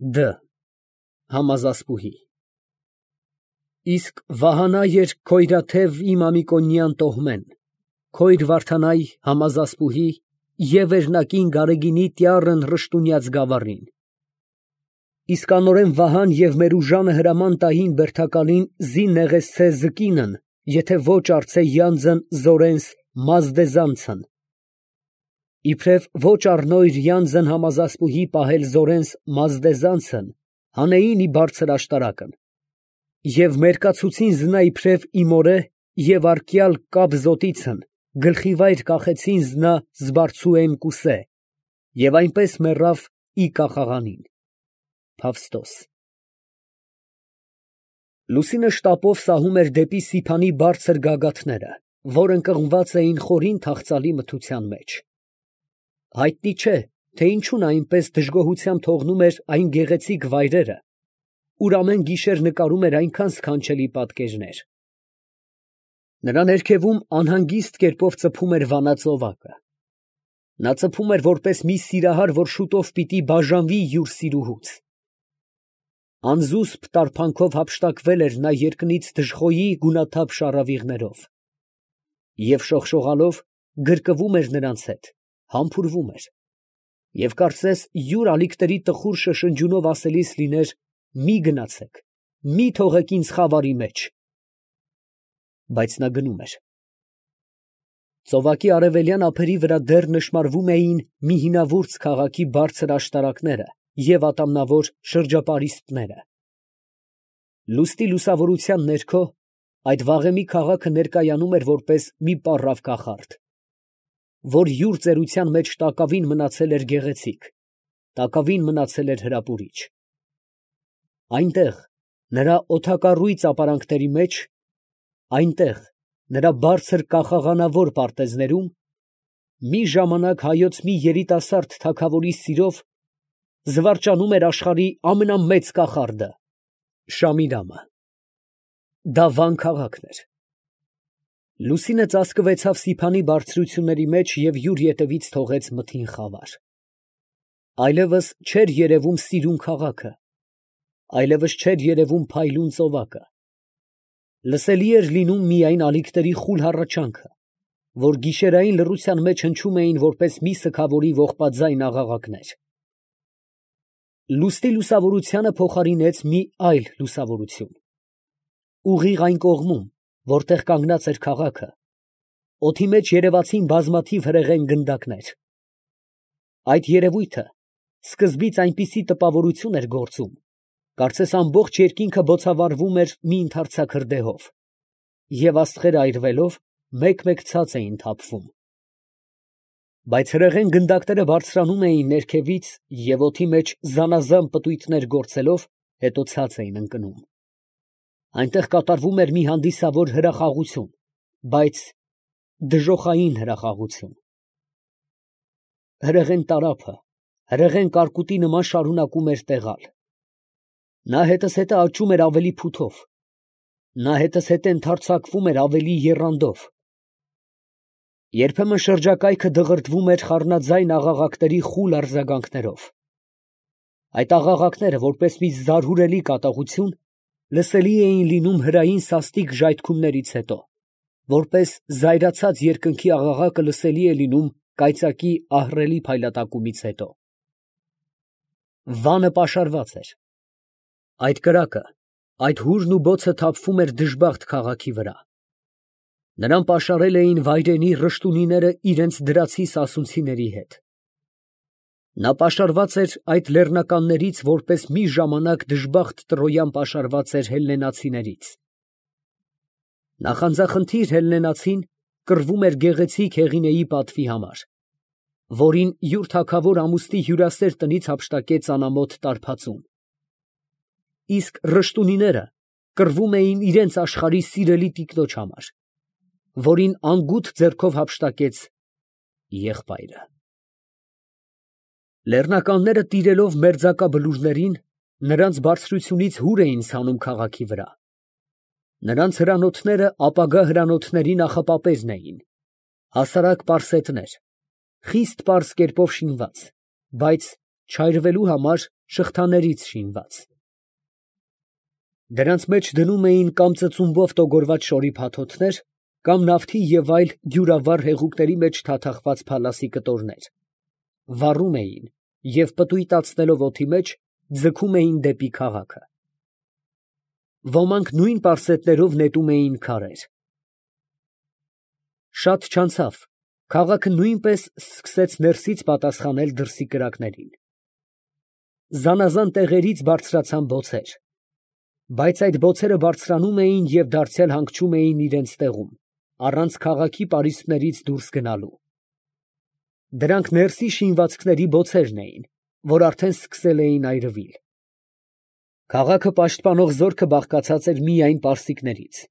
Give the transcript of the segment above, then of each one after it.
Դ. Համազասպուհի։ Իսկ Վահանա եր Քոյրաթև իմ Ամիկոնյան տոհմեն, Քոյր Վարդանայ համազասպուհի և վերնակին Գարեգինի տյառն ռշտունյաց գավառին։ Իսկ անորեն Վահան և Մերուժանը հրաման տային բերդակալին զի նեղեցցե զկինն, եթե ոչ արցե յանձն Զորենս Մազդեզանցն։ Իբրև ոչ առնոյր յանձն համազասպուհի պահել Զորենս Մազդեզանցն, հանեին ի բարձր աշտարակն։ Եվ մերկացուցին զնա իբրև իմորե և արկյալ կապ զոտիցն, գլխիվայր կախեցին զնա զբարձուեն կուսե, և այնպես մեռավ ի կախաղանին։ Փավստոս։ Լուսինը շտապով սահում էր դեպի Սիփանի բարձր գագաթները, որ ընկղմված էին խորին թախծալի մթության մեջ։ Հայտնի չէ, թե ինչու նա այնպես դժգոհությամբ թողնում էր այն գեղեցիկ վայրերը, ուր ամեն գիշեր նկարում էր այնքան սքանչելի պատկերներ։ Նրա ներքևում անհանգիստ կերպով ծփում էր վանա ծովակը։ Նա ծփում էր որպես մի սիրահար, որ շուտով պիտի բաժանվի յուր սիրուհուց։ Անզուսպ տարփանքով հափշտակվել էր նա երկնից դժխոյի գունաթափ շառավիղներով և շողշողալով գրկվում էր նրանց հետ, համբուրվում էր, և կարծես յուր ալիքների տխուր շշնջյունով ասելիս լիներ. «Մի գնացեք, մի թողեք ինձ խավարի մեջ»։ Բայց նա գնում էր։ Ծովակի արևելյան ափերի վրա դեռ նշմարվում էին մի հինավուրց քաղաքի բարձր աշտարակները և ատամնավոր շրջապարիսպները։ Լուստի լուսավորության ներքո այդ վաղեմի քաղաքը ներկայանում էր որպես մի պառավ կախարդ, որ յուր ծերության մեջ տակավին մնացել էր գեղեցիկ, տակավին մնացել էր հրապուրիչ։ Այնտեղ, նրա օդակառույց ապարանքների մեջ, այնտեղ, նրա բարձր կախաղանավոր պարտեզներում, մի ժամանակ հայոց մի երիտասարդ թագավորի սիրով զվարճանում էր աշխարհի ամենամեծ կախարդը՝ Շամիրամը։ Դա Վան քաղաքն էր։ Լուսինը ծածկվեցավ Սիփանի բարձրությունների մեջ և յուր ետևից թողեց մթին խավար։ Այլևս չէր երևում սիրուն քաղաքը, այլևս չէր երևում փայլուն ծովակը։ Լսելի էր լինում միայն ալիքների խուլ հառաչանքը, որ գիշերային լռության մեջ հնչում էին որպես մի սգավորի ողբաձայն աղաղակներ։ Լուստի լուսավորությանը փոխարինեց մի այլ լուսավորություն։ Ուղիղ այն կողմում, որտեղ կանգնած էր քաղաքը, օդի մեջ երևացին բազմաթիվ հրեղեն գնդակներ։ Այդ երևույթը սկզբից այնպիսի տպավորություն էր գործում, կարծես ամբողջ երկինքը բոցավառվում էր մի ընդարձակ հրդեհով, և աստղերը այրվելով մեկ֊մեկ ցած էին թափվում։ Բայց հրեղեն գնդակները բարձրանում էին ներքևից և օդի մեջ զանազան պտույտներ գործելով, հետո ցած էին ընկնում։ Այնտեղ կատարվում էր մի հանդիսավոր հրախաղություն, բայց դժոխային հրախաղություն։ Հրեղեն տարափը, հրեղեն կարկուտի նման շարունակում էր տեղալ։ Նա հետզհետե աճում էր ավելի փութով, նա հետզհետե ընդարձակվում էր ավելի եռանդով։ Երբեմն շրջակայքը դղրդվում էր խառնաձայն աղաղակների խուլ արձագանքներով։ Այդ աղաղակները, որպես մի զարհուրելի կատաղություն, լսելի էին լինում հրային սաստիկ ժայթքումներից հետո, որպես զայրացած երկնքի աղաղակը լսելի է լինում կայծակի ահռելի փայլատակումից հետո։ Վանը պաշարված էր։ Այդ կրակը, այդ հուրն ու բոցը թափվում էր դժբախտ քաղաքի վրա։ Նրան պաշարել էին վայրենի ռշտունիները իրենց դրացի սասունցիների հետ։ Նա պաշարված էր այդ լեռնականներից, որպես մի ժամանակ դժբախտ Տրոյան պաշարված էր հելլենացիներից։ Նախանձախնդիր հելլենացին կռվում էր գեղեցիկ Հեղինեի պատվի համար, որին յուր թագավոր ամուսնի հյուրասեր տնից հափշտակեց անամոթ տարբածուն։ Իսկ ռշտունիները կռվում էին իրենց աշխարհի սիրելի տիկնոջ համար, որին անգութ ձեռքով հափշտակեց եղբայրը։ Լեռնականները տիրելով մերձակա բլուրներին, նրանց բարձրությունից հուր էին ցանում քաղաքի վրա։ Նրանց հրանոթները ապագա հրանոթների նախապապերն էին, հասարակ պարսետներ, խիստ պարզ կերպով շինված, բայց չայրվելու համար շղթաներից շինված։ Դրանց մեջ դնում էին կամ ծծումբով տոգորված շորի փաթոթներ, կամ նավթի և այլ դյուրավառ հեղուկների մեջ թաթախված փալասի կտորներ, վառում էին և պտույտացնելով օդի մեջ, ձգում էին դեպի քաղաքը։ Ոմանք նույն պարսետներով նետում էին քարեր։ Շատ չանցավ, քաղաքը նույնպես սկսեց ներսից պատասխանել դրսի կրակներին։ Զանազան տեղերից բարձրացան բոցեր, բայց այդ բոցերը բարձրանում էին և դարձյալ հանգչում էին իրենց տեղում, առանց քաղաքի պարիսպներից դուրս գնալու։ Դրանք ներսի շինվածքների բոցերն էին, որ արդեն սկսել էին այրվել։ Քաղաքը պաշտպանող զորքը բաղկացած էր միայն պարսիկներից,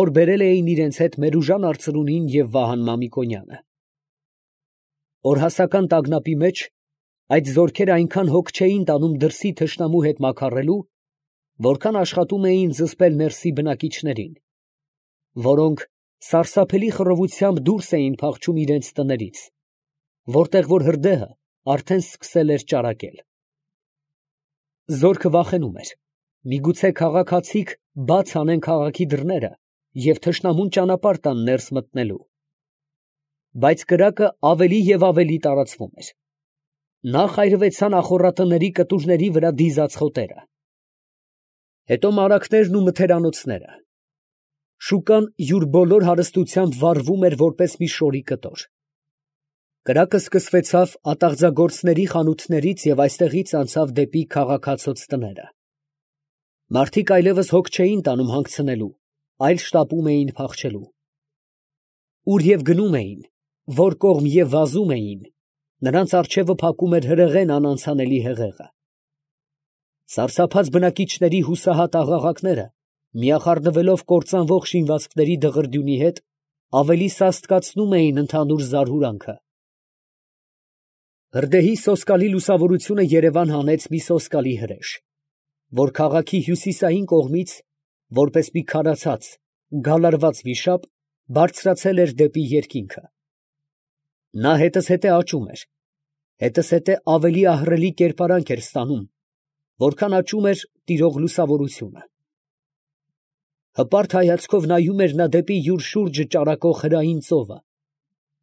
որ բերել էին իրենց հետ Մերուժան արծրունին և Վահան Մամիկոնյանը։ Օրհասական տագնապի մեջ այդ զորքերը այնքան հոգ չէին տանում դրսի թշնամու հետ մաքարելու, որքան աշխատում էին զսպել ներսի բնակիչներին, որոնք սարսափելի խռովությամբ դուրս էին փախչում իրենց տներից, որտեղ որ հրդեհը արդեն սկսել էր ճարակել։ Զորքը վախենում էր, միգուցե քաղաքացիք բաց անեն քաղաքի դռները և թշնամուն ճանապարհ տան ներս մտնելու։ Բայց կրակը ավելի և ավելի տարածվում էր։ Նախ այրվեցան ախոռատների կտուրների վրա դիզած խոտերը, հետո մարագներն ու մթերանոցները։ Շուկան յուր բոլոր հարստությամբ վառվում էր որպես մի շորի կտոր։ Կրակը սկսվեցավ ատաղձագործների խանութներից և այստեղից անցավ դեպի քաղաքացոց տները։ Մարդիկ այլևս հոգ չէին տանում հանգցնելու, այլ շտապում էին փախչելու։ Ուր և գնում էին, որ կողմ և վազում էին, նրանց առջևը փակում էր հրեղեն անանցանելի հեղեղը։ Սարսափած բնակիչների հուսահատ աղաղակները, միախառնվելով կործանվող շինվածքների դղրդյունի հետ, ավելի սաստկացնում էին ընդհանուր զարհուրանքը։ Հրդեհի սոսկալի լուսավորությունը Երևան հանեց մի սոսկալի հրեշ, որ քաղաքի հյուսիսային կողմից, որպես մի քարացած, գալարված վիշապ, բարձրացել էր դեպի երկինքը։ Նա հետզհետե աճում էր, հետզհետե ավելի ահռելի կերպարանք էր ստանում, որքան աճում էր տիրող լուսավորությունը։ Հպարտ հայացքով նայում էր նա դեպի յուր շուրջը ճարակող հրային ծովը,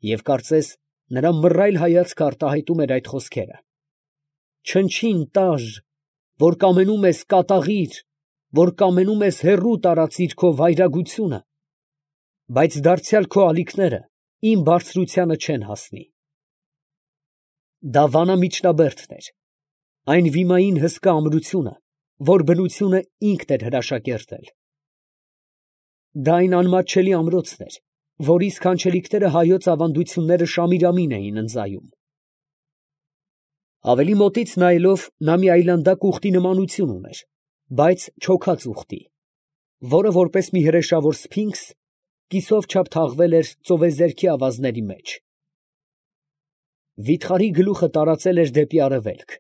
և կարծես նրա մռայլ հայացքը արտահայտում էր այդ խոսքերը. «Չնչին տար, որ կամենում ես կատաղիր, որ կամենում ես հեռու տարածիր քո վայրագությունը, բայց դարձյալ քո ալիքները իմ բարձրությանը չեն հասնի»։ Դա վանամիջնաբերդն էր, այն վիմային հսկա ամրությունը, որ բնությունը ինքն էր հրաշակերտել։ Դա այն անմատչելի ամրոցն էր, որի սքանչելիքները հայոց ավանդությունները շամիրամին էին ընծայում։ Ավելի մոտից նայելով, նա մի այլանդակ ուղտի նմանություն ուներ, բայց չոքած ուղտի, որը որպես մի հրեշավոր սփինքս կիսով չափ թաղվել էր ծովեզերքի ավազների մեջ։ Վիթխարի գլուխը տարածել էր դեպի արևելք,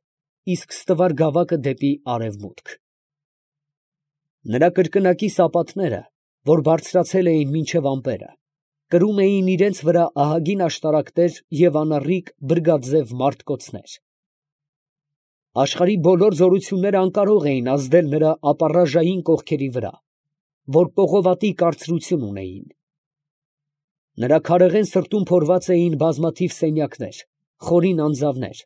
իսկ ստվար գավակը դեպի արևմուտք։ Նրա կրկնակի սապատները, որ բարձրացել էին մինչև ամպերը, կրում էին իրենց վրա ահագին աշտարակներ և անառիկ բրգաձև մարտկոցներ։ Աշխարհի բոլոր զորությունները անկարող էին ազդել նրա ապառաժային կողքերի վրա, որ պողովատի կարծրություն ունեին։ Նրա քարեղեն սրտում փորված էին բազմաթիվ սենյակներ, խորին անձավներ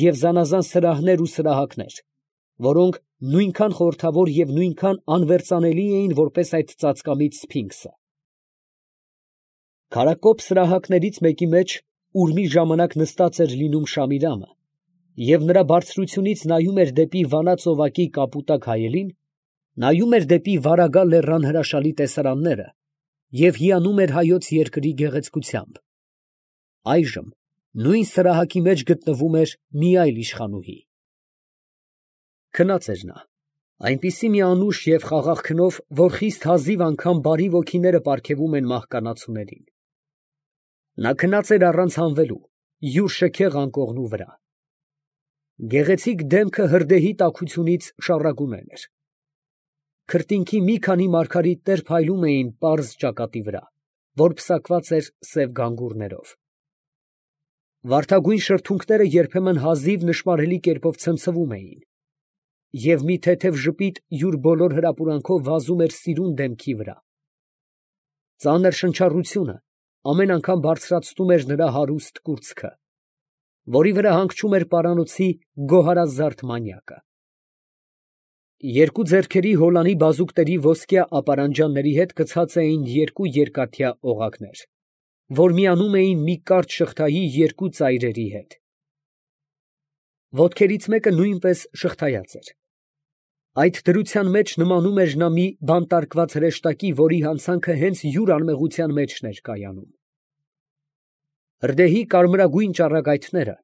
և զանազան սրահներ ու սրահակներ, որոնք նույնքան խորհրդավոր և նույնքան անվերծանելի էին, որպես այդ ծածկամիտ սփինքսը։ Քարակոպ սրահակներից մեկի մեջ, ուր մի ժամանակ նստած էր լինում Շամիրամը, և նրա բարձրությունից նայում էր դեպի Վանա ծովակի կապուտակ հայելին, նայում էր դեպի Վարագա լեռան հրաշալի տեսարանները և հիանում էր հայոց երկրի գեղեցկությամբ։ Այժմ նույն սրահակի մեջ գտնվում էր մի այլ իշխանուհի։ Քնած էր նա, այնպիսի մի անուշ և խաղաղ քնով, որ խիստ հազիվ անգամ բարի ոգիները պարգևում են մահկանացուներին։ Նա քնած էր առանց հանվելու, յուր շքեղ անկողնու վրա։ Գեղեցիկ դեմքը հրդեհի տաքությունից շառագունել էր։ Քրտինքի մի քանի մարգարիտներ փայլում էին պարզ ճակատի վրա, որ պսակված էր սև գանգուրներով։ Վարդագույն շրթունքները երբեմն հազիվ նշմարելի կերպով ցնցվում էին, և մի թեթև ժպիտ յուր բոլոր հրապուրանքով վազում էր սիրուն դեմքի վրա։ Ծանր շնչառությունը ամեն անգամ բարձրացնում էր նրա հարուստ կուրծքը, որի վրա հանգչում էր պարանոցի գոհարազարդ մանյակը։ Երկու ձեռքերի հոլանի բազուկների ոսկյա ապարանջանների հետ գցած էին երկու երկաթյա օղակներ, որ միանում էին մի կարճ շղթայի երկու ծայրերի հետ։ Ոտքերից մեկը նույնպես շղթայած էր։ Այդ դրության մեջ նմանում էր նա մի բանտարկված հրեշտակի, որի հանցանքը հենց յուր անմեղության մեջն էր կայանում։ Հրդեհի կարմրագույն ճառագայթները,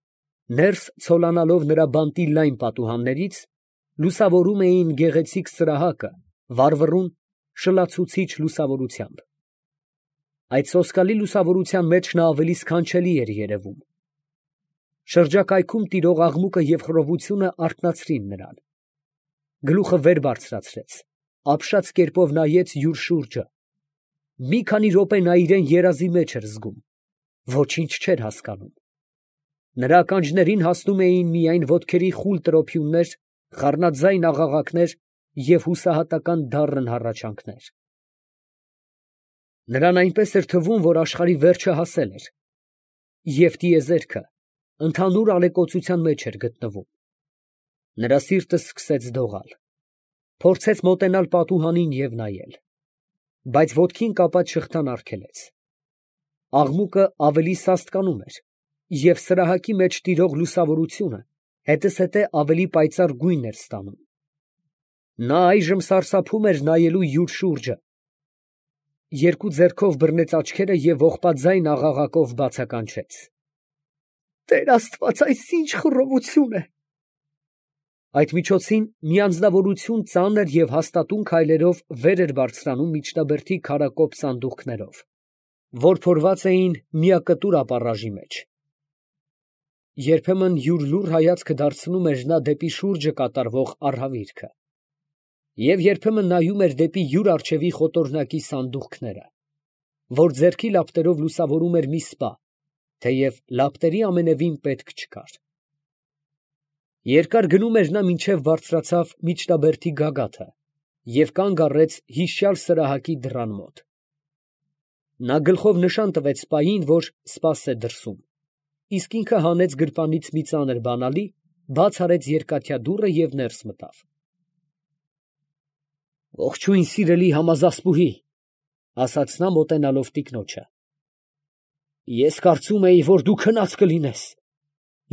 ներս ցոլանալով նրա բանտի լայն պատուհաններից, լուսավորում էին գեղեցիկ սրահակը վառվռուն, շլացուցիչ լուսավորությամբ։ Այդ սոսկալի լուսավորության մեջ նա ավելի սքանչելի էր երևում։ Շրջակայքում տիրող աղմուկը և խռովությունը արթնացրին նրան։ Գլուխը վեր բարձրացրեց, ապշած կերպով նայեց յուր շուրջը։ Մի քանի րոպե նա իրան երազի մեջ էր զգում, ոչինչ չէր հասկանում։ Նրա ականջներին հասնում էին միայն ոտքերի խուլ տրոփյուններ, խառնաձայն աղաղակներ և հուսահատական դառն հառաչանքներ։ Նրան այնպես էր թվում, որ աշխարհի վերջը հասել էր, և տիեզերքը ընդհանուր ալեկոծության մեջ էր գտնվում։ Նրա սիրտը սկսեց դողալ, փորձեց մոտենալ պատուհանին և նայել, բայց ոտքին կապած շղթան արգելեց։ Աղմուկը ավելի սաստկանում էր, և սրահակի մեջ տիրող լուսավորությունը հետզհետե ավելի պայծառ գույն էր ստանում։ Նա այժմ սարսափում էր նայելու յուր շուրջը, երկու ձեռքով բռնեց աչքերը և ողբաձայն աղաղակով բացականչեց. «Տեր Աստված, այս ի՞նչ խռովություն է»։ Այդ միջոցին մի անձնավորություն ծանր և հաստատուն քայլերով վեր էր բարձրանում միջնաբերդի քարակոպ սանդուղքներով, որ փորված էին միակտուր ապառաժի մեջ։ Երբեմն յուր լուռ հայացքը դարձնում էր նա դեպի շուրջը կատարվող արհավիրքը, և երբեմն նայում էր դեպի յուր առջևի խոտորնակի սանդուղքները, որ ձեռքի լապտերով լուսավորում էր մի սպա, թեև լապտերի ամենևին պետք չկար։ Երկար գնում էր նա, մինչև բարձրացավ միջնաբերդի գագաթը և կանգ առեց հիշյալ սրահակի դռան մոտ։ Նա գլխով նշան տվեց սպային, որ սպասե դրսում, իսկ ինքը հանեց գրպանից մի ծանր բանալի, բաց արեց երկաթյա դուռը և ներս մտավ։ «Ողջույն, սիրելի համազասպուհի», ֊ ասաց նա մոտենալով տիկնոջը։ «Ես կարծում էի, որ դու քնած կլինես.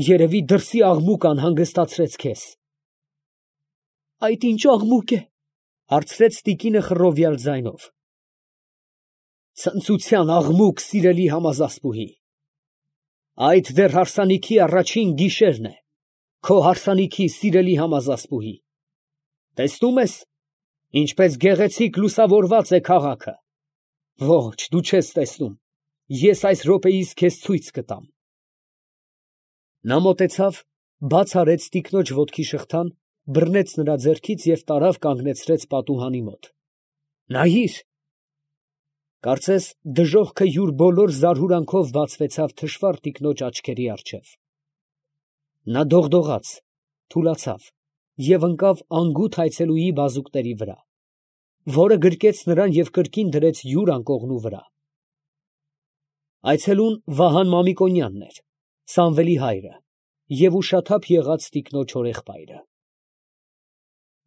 երևի դրսի աղմուկ անհանգստացրեց քեզ»։ «Այդ ի՞նչ աղմուկ է», ֊ հարցրեց տիկինը խռովյալ ձայնով։ «Ցնծության աղմուկ, սիրելի համազասպուհի։ Այդ դեռ հարսանիքի առաջին գիշերն է, քո հարսանիքի, սիրելի համազասպուհի։ Տեսնում ես, ինչպես գեղեցիկ լուսավորված է քաղաքը։ Ոչ, դու չես տեսնում, ես այս րոպեիս քեզ ցույց կտամ»։ Նա մոտեցավ, բաց արեց տիկնոջ ոտքի շղթան, բռնեց նրա ձեռքից և տարավ կանգնեցրեց պատուհանի մոտ։ «Նայիր»։ Կարծես դժոխքը յուր բոլոր զարհուրանքով բացվեցավ թշվառ տիկնոջ աչքերի առջև։ Նա դողդողաց, թուլացավ և ընկավ անգութ այցելուի բազուկների վրա, որը գրկեց նրան և կրկին դրեց յուր անկողնու վրա։ Այցելուն Վահան Մամիկոնյանն էր, Սամվելի հայրը և ուշաթափ եղած տիկնոջ հորեղբայրը։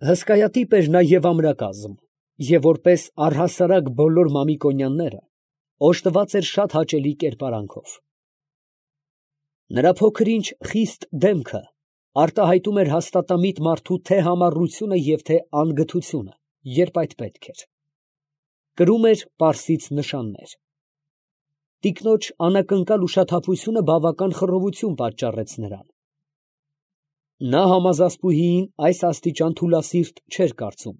Հսկայատիպ էր նա և ամրակազմ, և որպես առհասարակ բոլոր Մամիկոնյանները, օժտված էր շատ հաճելի կերպարանքով։ Նրա փոքր-ինչ խիստ դեմքը արտահայտում էր հաստատամիտ մարդու թե համառությունը և թե անգթությունը, երբ այդ պետք էր։ Կրում էր պարսից նշաններ։ Տիկնոջ անակնկալ ուշաթափությունը բավական խռովություն պատճառեց նրան։ Նա համազասպուհիին այս աստիճան թուլասիրտ չէր կարծում։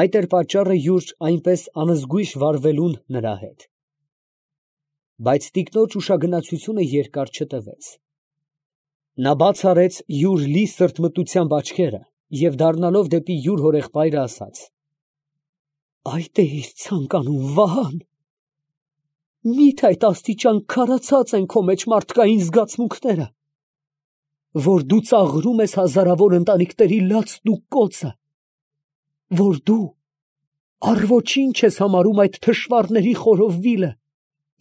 Այդ էր պատճառը յուր այնպես անզգույշ վարվելուն նրա հետ։ Բայց տիկնոջ ուշագնացությունը երկար չտևեց։ Նա բաց արեց յուր լի սրտմտությամբ աչքերը և դառնալով դեպի յուր հորեղբայրը ասաց. «Այդ էիր ցանկանում, Վահա՞ն։ Միթե այդ աստիճան քարացած են քո մեջ մարդկային զգացմունքները, որ դու ծաղրում ես հազարավոր ընտանիքների լացն ու կոծը, որ դու առ ոչինչ ես համարում այդ թշվառների խորովվիլը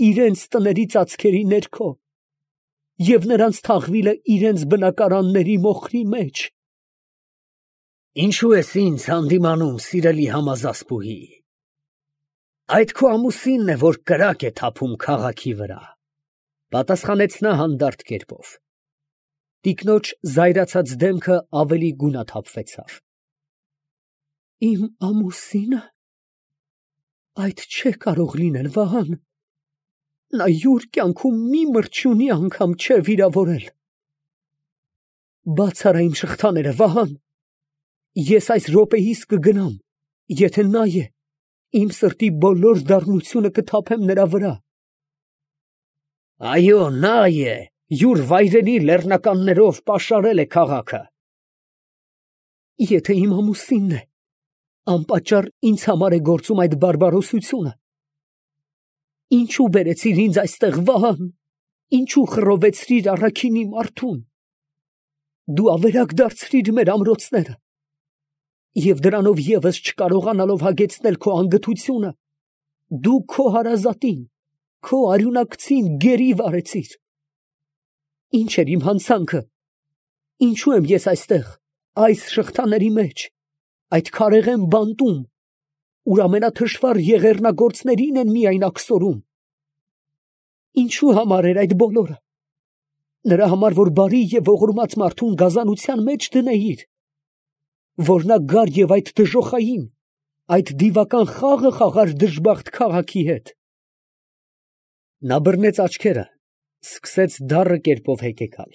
իրենց տների ծածկերի ներքո և նրանց թաղվիլը իրենց բնակարանների մոխրի մեջ։ Ինչու ես ինձ հանդիմանում, սիրելի համազասպուհի, այդ քո ամուսինն է, որ կրակ է թափում քաղաքի վրա, պատասխանեց նա հանդարտ կերպով։ Տիկնոջ զայրացած դեմքը ավելի գունաթափվեցավ։ Իմ ամուսինը, այդ չէ կարող լինել, Վահան, նա յուր կյանքում մի մրջյունի անգամ չէ վիրավորել։ Բաց արա իմ շղթաները, Վահան, ես այս րոպեիս կգնամ, եթե նա է, իմ սրտի բոլոր դառնությունը կթափեմ նրա վրա։ Այո, նա է, յուր վայրենի լեռնականներով պաշարել է քաղաքը։ Եթե իմ ամուսինն է, անպատճառ ինձ համար է գործում այդ բարբարոսությունը, ինչու բերեցիր ինձ այստեղ, Վահան, ինչու խռովեցրիր առաքինի մարդուն, դու ավերակ դարձրիր մեր ամրոցները, և դրանով ևս չկարողանալով հագեցնել քո անգթությունը, դու քո հարազատին, քո արյունակցին գերի վարեցիր։ Ինչ էր իմ հանցանքը, ինչու եմ ես այստեղ, այս շղթաների մեջ, այդ քարեղեն բանտում, ուր ամենաթշվառ եղեռնագործներին են միայն աքսորում։ Ինչու համար էր այդ բոլորը, նրա համար, որ բարի և ողորմած մարդուն գազանության մեջ դնեիր, որ նա գար և այդ դժոխային, այդ դիվական խաղը խաղար դժբախտ քաղաքի հետ։ Նա բռնեց աչքերը, սկսեց դառը կերպով հեկեկալ։